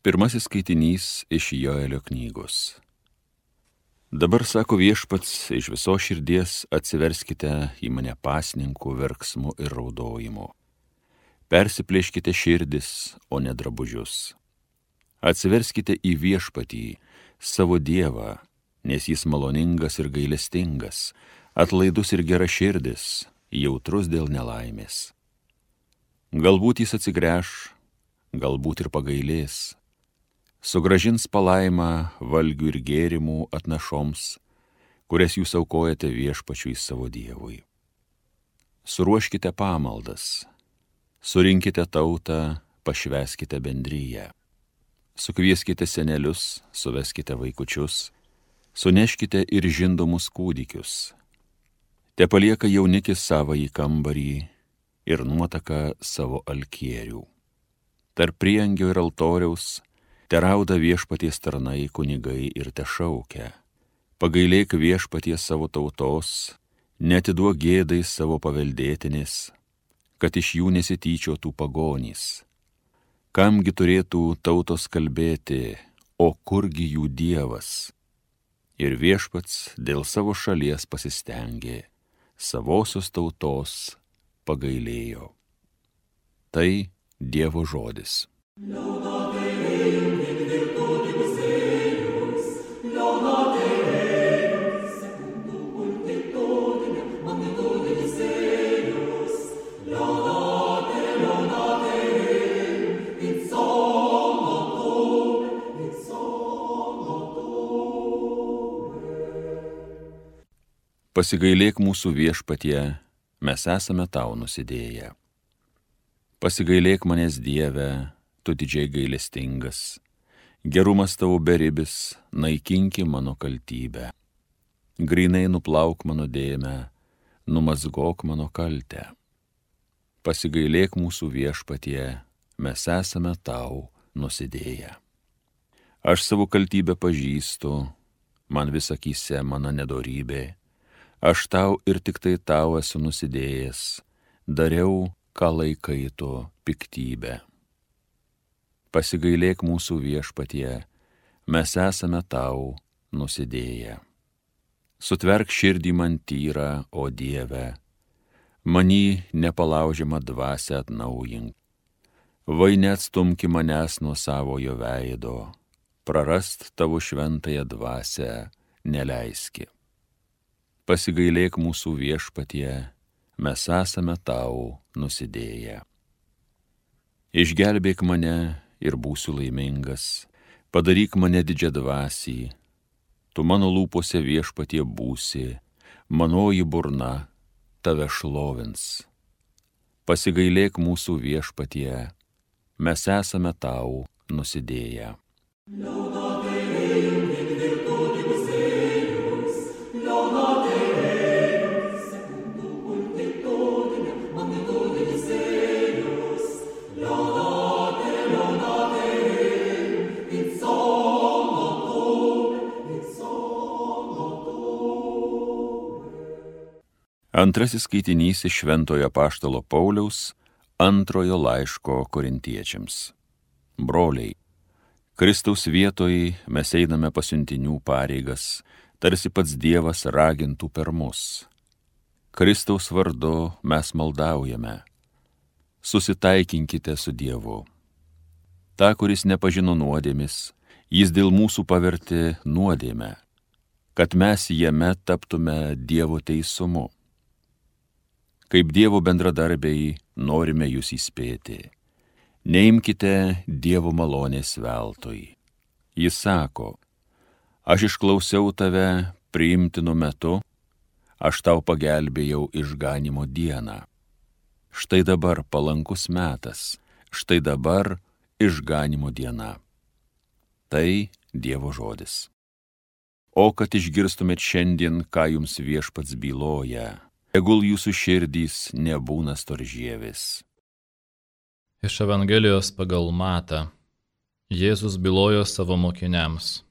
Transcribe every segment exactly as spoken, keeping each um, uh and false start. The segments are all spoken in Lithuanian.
Pirmasis skaitinys iš Joelio knygos. Dabar, sako Viešpats, iš viso širdies atsiverskite į mane pasninkų verksmu ir raudojimu. Persiplėškite širdis, o ne drabužius. Atsiverskite į Viešpatį, savo Dievą, nes jis maloningas ir gailestingas, atlaidus ir geraširdis, jautrus dėl nelaimės. Galbūt jis atsigręš, galbūt ir pagailės. Sugražins palaimą valgių ir gėrimų atnašoms, kurias jūs aukojate Viešpačiui savo Dievui. Suruoškite pamaldas, surinkite tautą, pašvęskite bendryją. Sukvieskite senelius, suveskite vaikučius, suneškite ir žindomus kūdikius. Te palieka jaunikis savąjį kambarį ir nuotaka savo alkierių. Tarp priengio ir altoriaus te rauda Viešpaties tarnai kunigai ir te šaukia. Pagailėk Viešpaties savo tautos, neatiduok gėdai savo paveldėtinės, kad iš jų nesityčiotų pagonys. Kamgi turėtų tautos kalbėti, o kurgi jų Dievas? Ir Viešpats dėl savo šalies pasistengė, savosios tautos pagailėjo. Tai Dievo žodis. Pasigailėk mūsų Viešpatie, mes esame tau nusidėję. Pasigailėk manęs Dieve, tu didžiai gailestingas, gerumas tavo beribis, naikinki mano kaltybę. Grynai nuplauk mano dėmę, numazgok mano kaltę. Pasigailėk mūsų Viešpatie, mes esame tau nusidėję. Aš savo kaltybę pažįstu, man vis akyse mano nedorybė. Aš tau ir tik tai tau esu nusidėjęs, dariau, ką laikai tu piktybę. Pasigailėk mūsų Viešpatie, mes esame tau nusidėję. Sutverk širdį man tyrą, o Dieve, many nepalaužiamą dvasią atnaujink. Vai neatstumki manęs nuo savojo veido, prarast tavo šventąją dvasią neleiski. Pasigailėk mūsų Viešpatie, mes esame tau nusidėję. Išgelbėk mane ir būsiu laimingas, padaryk mane didžiadvasį, tu mano lūpose Viešpatie būsi, manoji burna tave šlovins. Pasigailėk mūsų Viešpatie, mes esame tau nusidėję. Antrasis skaitinys iš Šventojo apaštalo Pauliaus antrojo laiško korintiečiams. Broliai, Kristaus vietoj mes einame pasiuntinių pareigas, tarsi pats Dievas ragintų per mus. Kristaus vardu mes maldaujame. Susitaikinkite su Dievu. Ta, kuris nepažino nuodėmis, jis dėl mūsų pavertė nuodėmę, kad mes jame taptume Dievo teisumu. Kaip Dievo bendradarbiai norime jūs įspėti. Neimkite Dievo malonės veltui. Jis sako, aš išklausiau tave priimtinu metu, aš tau pagelbėjau išganimo dieną. Štai dabar palankus metas, štai dabar išganimo diena. Tai Dievo žodis. O kad išgirstumėt šiandien, ką jums Viešpats byloja, tegul jūsų širdys nebūna storžievis. Iš Evangelijos pagal Matą Jėzus bylojo savo mokiniams.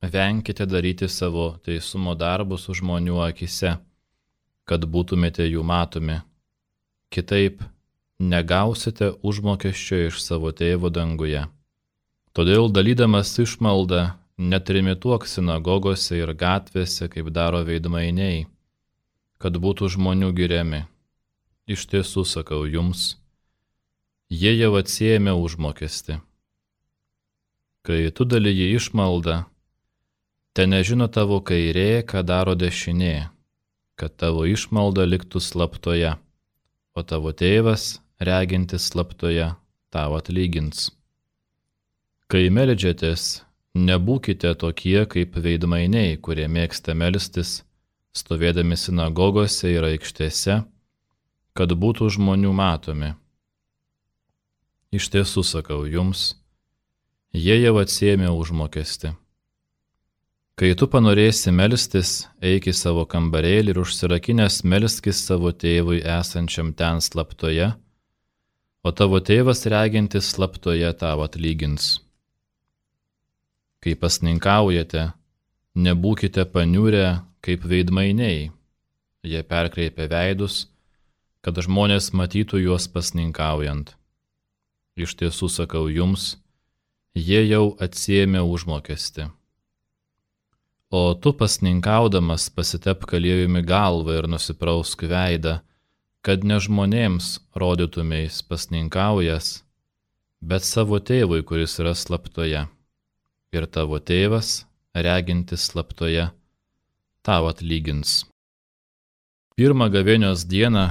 Venkite daryti savo teisumo darbus už žmonių akise, kad būtumėte jų matomi. Kitaip negausite užmokesčio iš savo tėvo danguje. Todėl dalydamas išmaldą netrimituok sinagogose ir gatvėse, kaip daro veidmainiai, kad būtų žmonių giriami. Iš tiesų sakau jums, jie jau atsiėmė užmokestį. Kai tu dalyji išmaldą, te nežino tavo kairė, ką daro dešinė, kad tavo išmalda liktų slaptoje, o tavo tėvas, regintis slaptoje, tau atlygins. Kai meldžiatės, nebūkite tokie kaip veidmainiai, kurie mėgsta melstis, stovėdami sinagogose ir aikštėse, kad būtų žmonių matomi. Iš tiesų sakau jums, jie jau atsiėmė užmokestį. Kai tu panorėsi melstis, eik į savo kambarėlį ir užsirakinęs melskis savo tėvui esančiam ten slaptoje, o tavo tėvas regintis slaptoje tau atlygins. Kai pasninkaujate, nebūkite paniurę kaip veidmainiai. Jie perkreipia veidus, kad žmonės matytų juos pasninkaujant. Iš tiesų sakau jums, jie jau atsiėmė užmokestį. O tu pasninkaudamas pasitepk aliejumi galvą ir nusiprausk veidą, kad ne žmonėms rodytumeis pasninkaujas, bet savo tėvui, kuris yra slaptoje. Ir tavo tėvas, regintis slaptoje, tau atlygins. Pirmą gavėnios dieną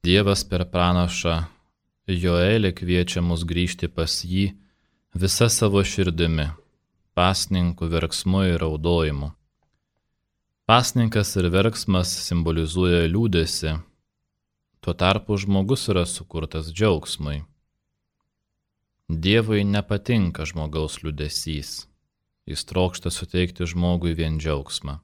Dievas per pranašą Joelį kviečia mus grįžti pas jį visa savo širdimi, pasninkų verksmu ir raudojimu. Pasninkas ir verksmas simbolizuoja liūdesį, tuo tarpu žmogus yra sukurtas džiaugsmui. Dievui nepatinka žmogaus liūdesys, jis trokšta suteikti žmogui vien džiaugsmą.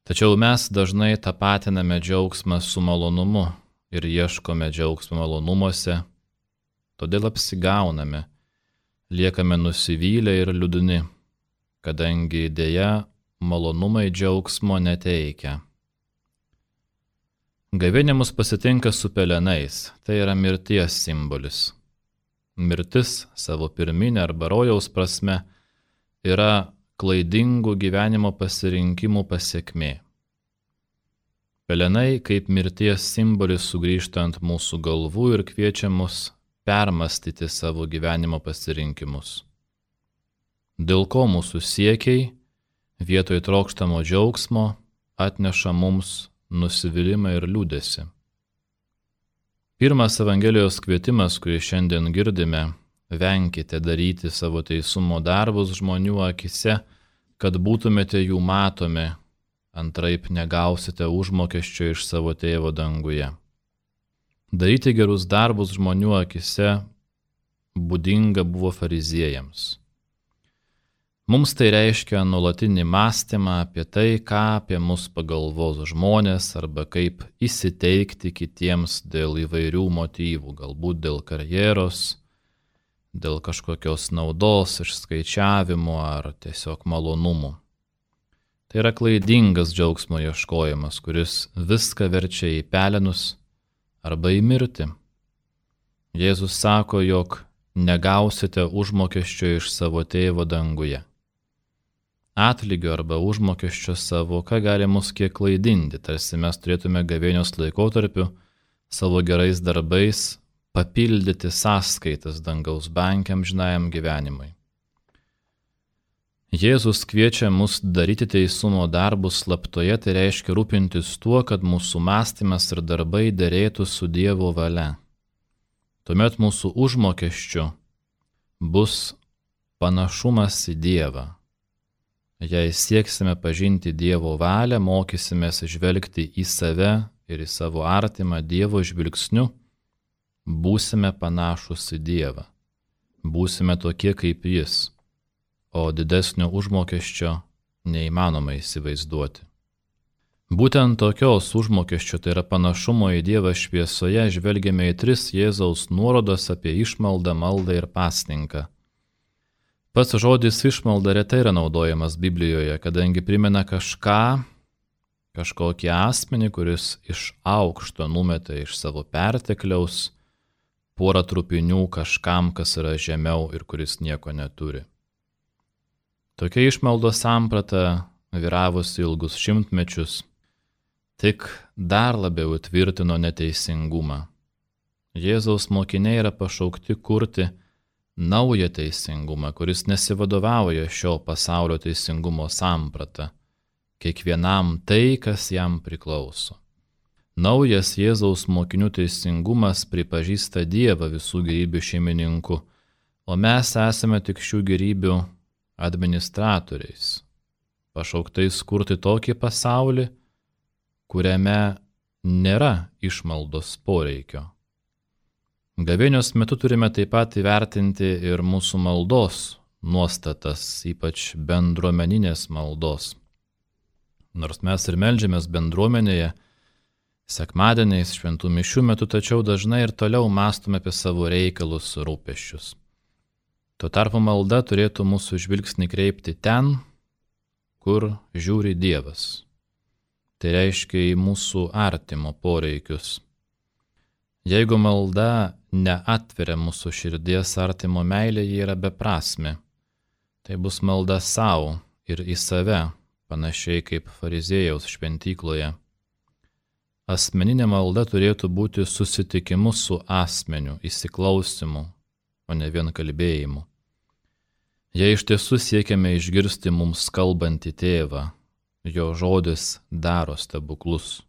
Tačiau mes dažnai tapatiname džiaugsmą su malonumu ir ieškome džiaugsmo malonumuose, todėl apsigauname, liekame nusivylę ir liūdni, kadangi dėja malonumai džiaugsmo neteikia. Gavėnia mus pasitinka su pelenais, tai yra mirties simbolis. Mirtis savo pirminė arba rojaus prasme yra klaidingų gyvenimo pasirinkimų pasekmė. Pelenai kaip mirties simbolis sugrįžta ant mūsų galvų ir kviečia mus permastyti savo gyvenimo pasirinkimus. Dėl ko mūsų siekiai vietoj trokštamo džiaugsmo atneša mums nusivylimą ir liūdesį. Pirmas Evangelijos kvietimas, kurį šiandien girdime, venkite daryti savo teisumo darbus žmonių akise, kad būtumėte jų matomi, antraip negausite užmokesčio iš savo tėvo danguje. Daryti gerus darbus žmonių akise būdinga buvo fariziejams. Mums tai reiškia nuolatinį mąstymą apie tai, ką apie mus pagalvos žmonės arba kaip įsiteikti kitiems dėl įvairių motyvų, galbūt dėl karjeros, dėl kažkokios naudos, išskaičiavimo ar tiesiog malonumų. Tai yra klaidingas džiaugsmo ieškojimas, kuris viską verčia į pelenus arba į mirtį. Jėzus sako, jog negausite užmokesčio iš savo tėvo danguje. Atlygio arba užmokesčio savo, ką gali mus kiek klaidinti, tarsi mes turėtume gavėnios laikotarpiu savo gerais darbais papildyti sąskaitas dangaus banke amžinajam gyvenimui. Jėzus kviečia mus daryti teisumo darbus slaptoje, tai reiškia rūpintis tuo, kad mūsų mąstymas ir darbai derėtų su Dievo valia. Tuomet mūsų užmokesčiu bus panašumas į Dievą. Jei sieksime pažinti Dievo valią, mokysimės žvelgti į save ir į savo artimą Dievo žvilgsniu, būsime panašus į Dievą. Būsime tokie kaip Jis, o didesnio užmokesčio neįmanoma įsivaizduoti. Būtent tokios užmokesčio, tai yra panašumo į Dievą šviesoje, žvelgiame į tris Jėzaus nuorodas apie išmaldą, maldą ir pasninką. Pats žodis išmalda retai yra naudojamas Biblijoje, kadangi primena kažką, kažkokį asmenį, kuris iš aukšto numeta iš savo pertekliaus porą trupinių kažkam, kas yra žemiau ir kuris nieko neturi. Tokia išmaldos samprata, vyravusi ilgus šimtmečius, tik dar labiau įtvirtino neteisingumą. Jėzaus mokiniai yra pašaukti kurti naują teisingumą, kuris nesivadovauja šio pasaulio teisingumo samprata, kiekvienam tai, kas jam priklauso. Naujas Jėzaus mokinių teisingumas pripažįsta Dievą visų gyvybių šeimininku, o mes esame tik šių gyvybių administratoriais, pašauktais kurti tokį pasaulį, kuriame nėra išmaldos poreikio. Gavėnios metu turime taip pat įvertinti ir mūsų maldos nuostatas, ypač bendruomeninės maldos. Nors mes ir meldžiamės bendruomenėje, sekmadieniais, šventų mišių metu, tačiau dažnai ir toliau mąstome apie savo reikalus, rūpesčius. Tuo tarpu malda turėtų mūsų žvilgsnį kreipti ten, kur žiūri Dievas. Tai reiškia į mūsų artimo poreikius. Jeigu malda neatveria mūsų širdies artimo meilė, ji yra beprasmė. Tai bus malda savo ir į save, panašiai kaip fariziejaus šventykloje. Asmeninė malda turėtų būti susitikimu su asmeniu, įsiklausimu, o ne vien kalbėjimu. Jei iš tiesų siekiame išgirsti mums kalbantį tėvą, jo žodis daro stebuklus,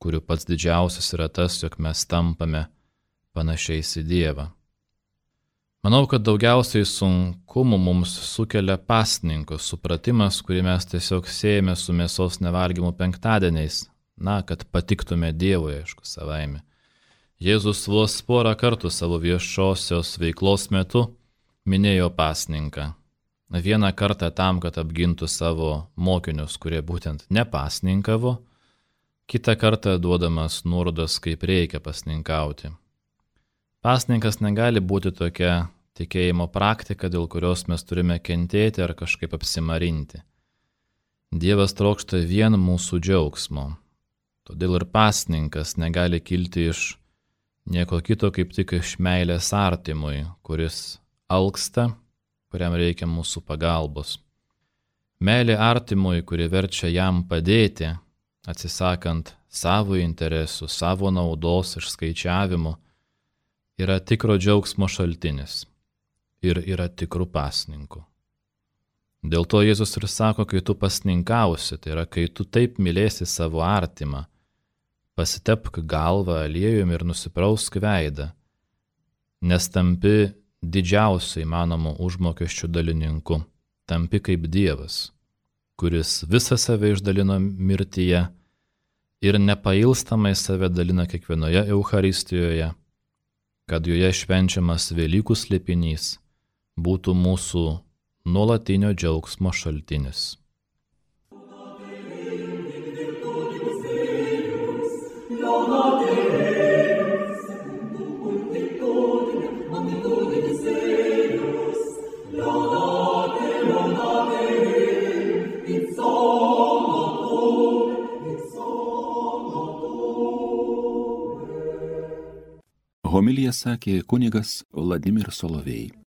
kurių pats didžiausias yra tas, jog mes tampame panašiais į Dievą. Manau, kad daugiausiai sunkumų mums sukelia pasninko supratimas, kurį mes tiesiog siejame su mėsos nevalgymu penktadieniais, na, kad patiktume Dievui, aišku, savaime. Jėzus vos porą kartų savo viešosios veiklos metu minėjo pasninką. Vieną kartą tam, kad apgintų savo mokinius, kurie būtent nepasninkavo, kitą kartą duodamas nuorodas, kaip reikia pasninkauti. Pasninkas negali būti tokia tikėjimo praktika, dėl kurios mes turime kentėti ar kažkaip apsimarinti. Dievas trokšta vien mūsų džiaugsmo. Todėl ir pasninkas negali kilti iš nieko kito, kaip tik iš meilės artimui, kuris alksta, kuriam reikia mūsų pagalbos. Meilė artimui, kuri verčia jam padėti, atsisakant savo interesų, savo naudos išskaičiavimų, yra tikro džiaugsmo šaltinis ir yra tikrų pasninkų. Dėl to Jėzus ir sako, kai tu pasninkausi, tai yra, kai tu taip mylėsi savo artimą, pasitepk galvą aliejumi ir nusiprausk veidą, nes tampi didžiausiu įmanomu užmokesčių dalininku, tampi kaip Dievas, kuris visą save išdalino mirtyje ir nepailstamai save dalina kiekvienoje Eucharistijoje, kad joje švenčiamas Velykų slėpinys būtų mūsų nuolatinio džiaugsmo šaltinis. Homiliją sakė kunigas Vladimir Solovej.